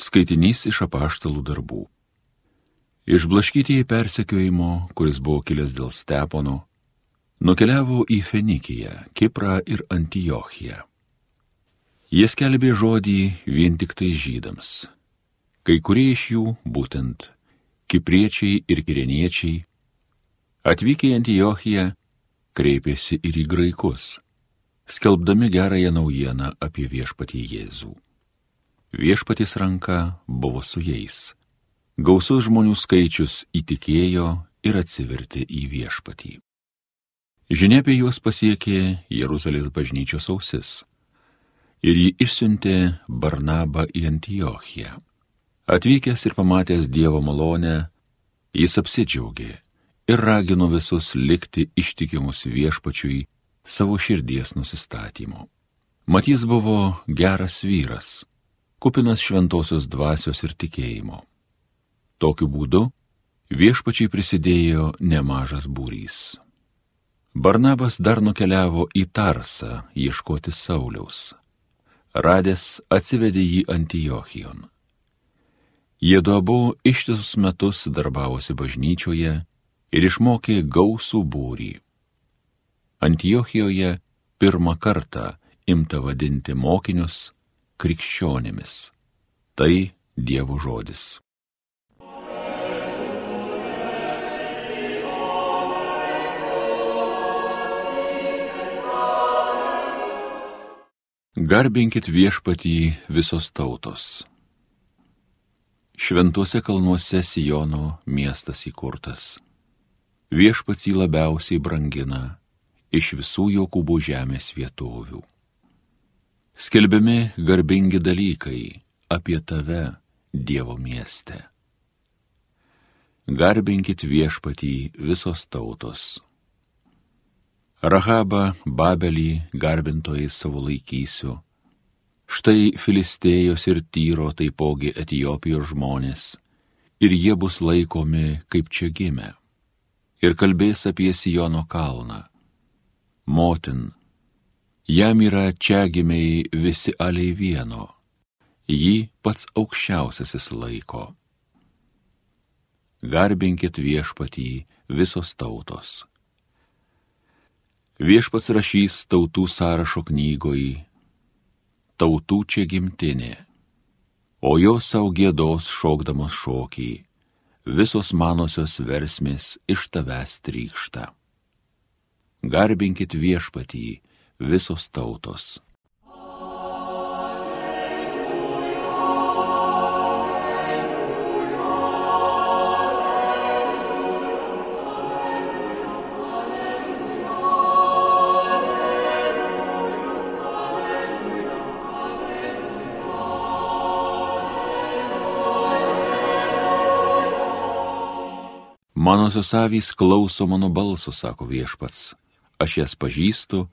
Skaitinys iš apaštalų darbų. Išblaškytieji persekiojimo, kuris buvo kilęs dėl Stepono, nukeliavo į Fenikiją, Kiprą ir Antiochiją. Jie skelbė žodį vien tik tai žydams. Kai kurie iš jų, būtent kipriečiai ir kireniečiai, atvykę į Antiochiją, kreipėsi ir į graikus, skelbdami gerąją naujieną apie viešpatį Jėzų. Viešpaties ranka buvo su jais. Gausus žmonių skaičius įtikėjo ir atsivertė į viešpatį. Žinia apie juos pasiekė Jeruzalės bažnyčios ausis ir jį išsiuntė Barnabą į Antiochiją. Atvykęs ir pamatęs Dievo malonę, jis apsidžiaugė ir ragino visus likti ištikimus viešpačiui savo širdies nusistatymu. Mat jis buvo geras vyras, kupinas šventosios dvasios ir tikėjimo. Tokiu būdu viešpačiai prisidėjo nemažas būrys. Barnabas dar nukeliavo į Tarsą ieškoti Sauliaus. Radęs atsivedė jį Antiochijon. Jiedu abu ištisus metus darbavosi bažnyčioje ir išmokė gausų būrį. Antiochijoje pirmą kartą imta vadinti mokinius krikščionimis. Tai Dievo žodis. Garbinkit viešpatį visos tautos. Šventuose kalnuose Siono miestas įkurtas. Viešpats jį labiausiai brangina iš visų Jokūbo žemės vietovių. Skelbiami garbingi dalykai apie tave, Dievo mieste. Garbinkit viešpatį visos tautos. Rahabą, Babelį garbintojai savo laikysiu. Štai Filistėjos ir Tyro taipogi Etiopijos žmonės, ir jie bus laikomi kaip čia gimę. Ir kalbės apie Siono kalną. Motin, jam yra čia gimiai visi aliai vieno, jį pats aukščiausiasis laiko. Garbinkit viešpatį visos tautos. Viešpats rašys tautų sąrašo knygoj, tautų čia gimtinė, o jos sau giedos šokdamos šokį, visos manosios versmės iš tavęs trykšta. Garbinkit viešpatį visos tautos. Manosios avys klauso mano balso, sako viešpats, aš jas pažįstu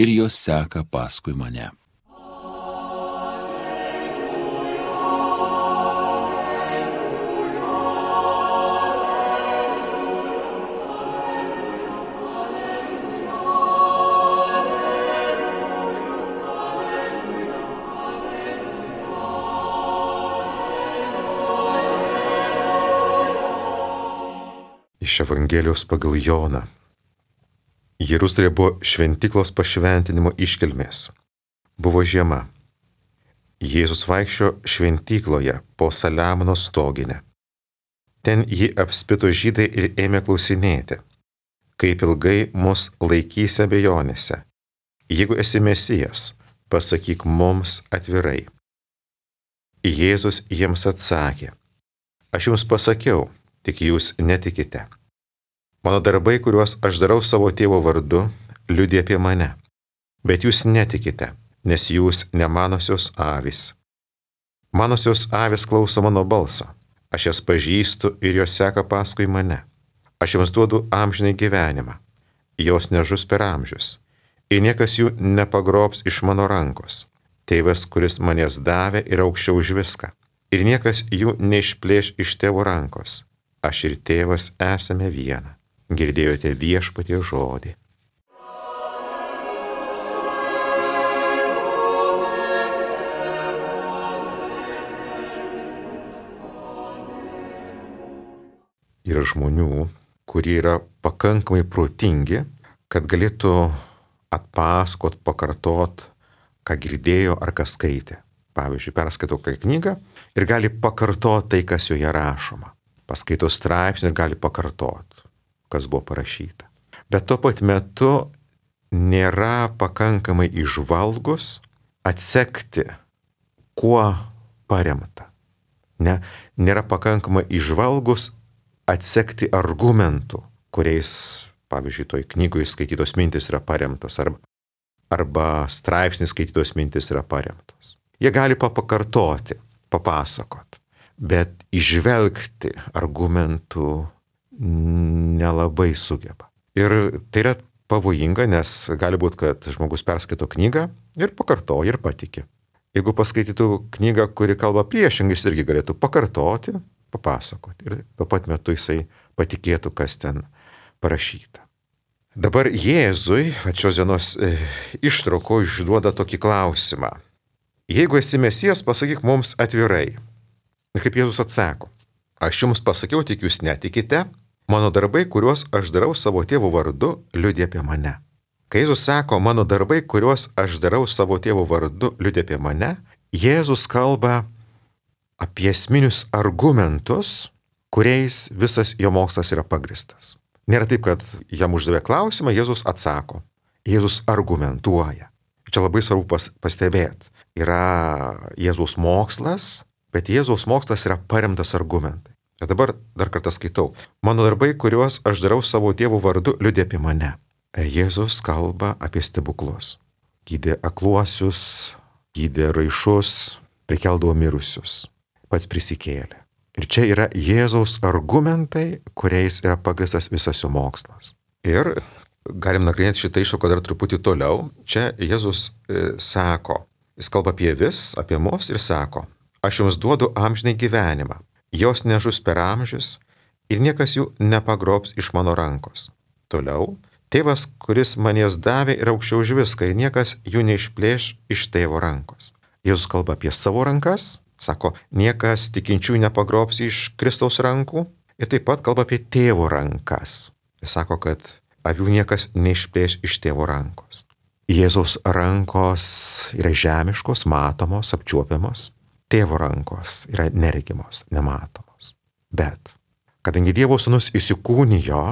ir jos seka paskui mane. Iš Evangelijos pagal Joną. Jeruzalė buvo šventyklos pašventinimo iškilmės. Buvo žiema. Jėzus vaikščiojo šventykloje po Saliamono stoginę. Ten jį apspito žydai ir ėmė klausinėti, kaip ilgai mus laikysi abejonėse. Jeigu esi Mesijas, pasakyk mums atvirai. Jėzus jiems atsakė, aš jums pasakiau, tik jūs netikite. Mano darbai, kuriuos aš darau savo tėvo vardu, liudija apie mane. Bet jūs netikite, nes jūs ne manosios avys. Manosios avys klauso mano balso. Aš jas pažįstu ir jos seka paskui mane. Aš jums duodu amžinai gyvenimą. Jos nežus per amžius. Ir niekas jų nepagrobs iš mano rankos. Tėvas, kuris manęs davė, yra aukščiau už viską. Ir niekas jų neišplėš iš tėvo rankos. Aš ir tėvas esame viena. Girdėjote viešpaties žodį. yra žmonių, kurie yra pakankamai protingi, kad galėtų atpasakot, pakartot, ką girdėjo ar ką skaitė. Pavyzdžiui, perskaito kokią knygą ir gali pakartoti tai, kas joje rašoma. Paskaito straipsnį ir gali pakartoti, kas buvo parašyta. Bet tuo pat metu nėra pakankamai įžvalgus atsekti, kuo paremta. Nėra pakankamai įžvalgus atsekti argumentų, kuriais, pavyzdžiui, toj knygoje skaitytos mintis yra paremtos, arba straipsnis skaitytos mintis yra paremtos. Jie gali pakartoti, papasakot, bet įžvelgti argumentų nelabai sugeba. Ir tai yra pavojinga, nes gali būti, kad žmogus perskaito knygą ir pakartoja ir patiki. Jeigu paskaitytų knygą, kuri kalba priešingai, jis irgi galėtų pakartoti, papasakoti. Ir tuo pat metu jisai patikėtų, kas ten parašyta. Dabar Jėzui, šios dienos ištrauko išduoda tokį klausimą. Jeigu esi Mesijas, pasakyk mums atvirai. Ir kaip Jėzus atsako, aš jums pasakiau, tik jūs netikite, mano darbai, kuriuos aš darau savo tėvo vardu, liudija apie mane. Kai Jėzus sako, mano darbai, kuriuos aš darau savo tėvo vardu, liudija apie mane, Jėzus kalba apie esminius argumentus, kuriais visas jo mokslas yra pagristas. Nėra taip, kad jam uždavė klausimą, Jėzus atsako. Jėzus argumentuoja. Čia labai svarbu pastebėti. Yra Jėzaus mokslas, bet Jėzaus mokslas yra paremtas argumentai. Ir dabar dar kartą skaitau. Mano darbai, kuriuos aš darau savo tėvo vardu, liudija apie mane. Jėzus kalba apie stebuklus. Gydė akluosius, gydė raišus, prikeldavo mirusius. Pats prisikėlė. Ir čia yra Jėzaus argumentai, kuriais yra pagristas visas jo mokslas. Ir galim nagrinėti šitą ištrauką dar truputį toliau. Čia Jėzus sako, jis kalba apie vis, apie mus ir sako, aš jums duodu amžinai gyvenimą, jos nežus per amžius ir niekas jų nepagrobs iš mano rankos. Toliau, tėvas, kuris man jas davė, yra aukščiau už viską ir niekas jų neišplėš iš tėvo rankos. Jėzus kalba apie savo rankas, sako, niekas tikinčių nepagrobs iš Kristaus rankų ir taip pat kalba apie tėvo rankas. Jis sako, kad avių niekas neišplėš iš tėvo rankos. Jėzaus rankos yra žemiškos, matomos, apčiuopiamos. Tėvo rankos yra neregimos, nematomos. Bet, kadangi Dievo sūnus įsikūnijo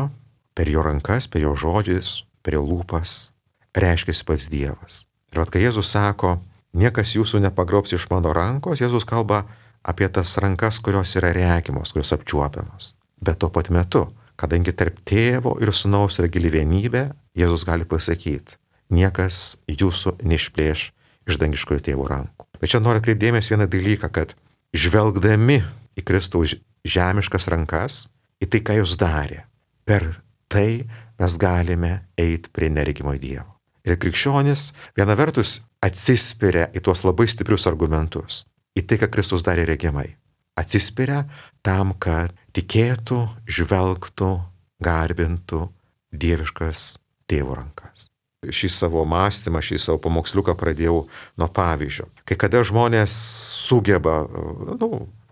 per jo rankas, per jo žodžius, per jo lūpas, reiškiasi pats Dievas. Ir kai Jėzus sako, niekas jūsų nepagrobs iš mano rankos, Jėzus kalba apie tas rankas, kurios yra regimos, kurios apčiuopiamos. Bet tuo pat metu, kadangi tarp tėvo ir sūnaus yra gili vienybė, Jėzus gali pasakyti, niekas jūsų neišplėš iš dangiškojo tėvo rankų. Bet čia noriu atkreipti dėmesį vieną dalyką, kad žvelgdami į Kristaus žemiškas rankas, į tai, ką jis darė, per tai mes galime eiti prie neregimo Dievo. Ir krikščionis viena vertus atsispiria į tuos labai stiprius argumentus, į tai, ką Kristus darė regimai. Atsispiria tam, kad tikėtų, žvelgtų, garbintų dieviškas tėvo rankas. Šį savo mąstymą, šį savo pamoksliuką pradėjau nuo pavyzdžio. Kai kada žmonės sugeba,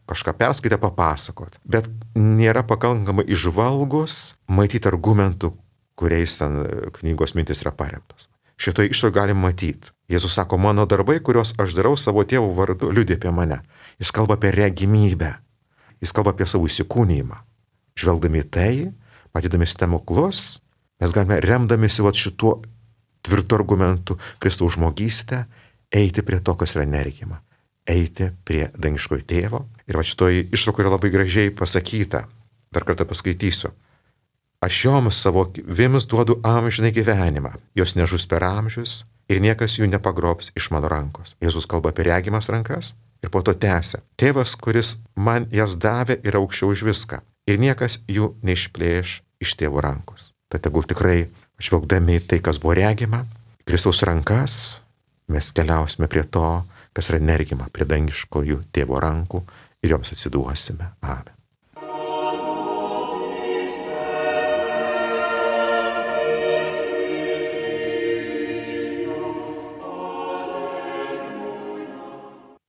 kažką perskaitę papasakot, bet nėra pakankamai įžvalgus matyti argumentų, kuriais ten knygos mintis yra paremtos. Šitoje ištraukoje galim matyti. Jėzus sako, mano darbai, kuriuos aš darau savo tėvo vardu, liudija apie mane. Jis kalba apie regimybę. Jis kalba apie savo įsikūnijimą. Žvelgdami tai, matydami stebuklus, mes galime remdamisi šituo tvirtų argumentų Kristaus žmogystę, eiti prie to, kas yra neregima. Eiti prie dangiškojo tėvo. Ir šitoje ištraukoje yra labai gražiai pasakyta. Dar kartą paskaitysiu. Aš joms savo avims duodu amžinai gyvenimą. Jos nežus per amžius ir niekas jų nepagrobs iš mano rankos. Jėzus kalba apie regimas rankas ir po to tęsia. Tėvas, kuris man jas davė, yra aukščiau už viską. Ir niekas jų neišplėš iš tėvo rankos. Tad tegul tikrai žvelgdami tai, kas buvo regima, Kristaus rankas, mes keliausime prie to, kas yra neregima, prie dangiškojų tėvo rankų ir joms atsiduosime. Amen.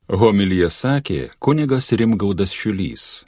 Homiliją sakė kunigas Rimgaudas Šiulys.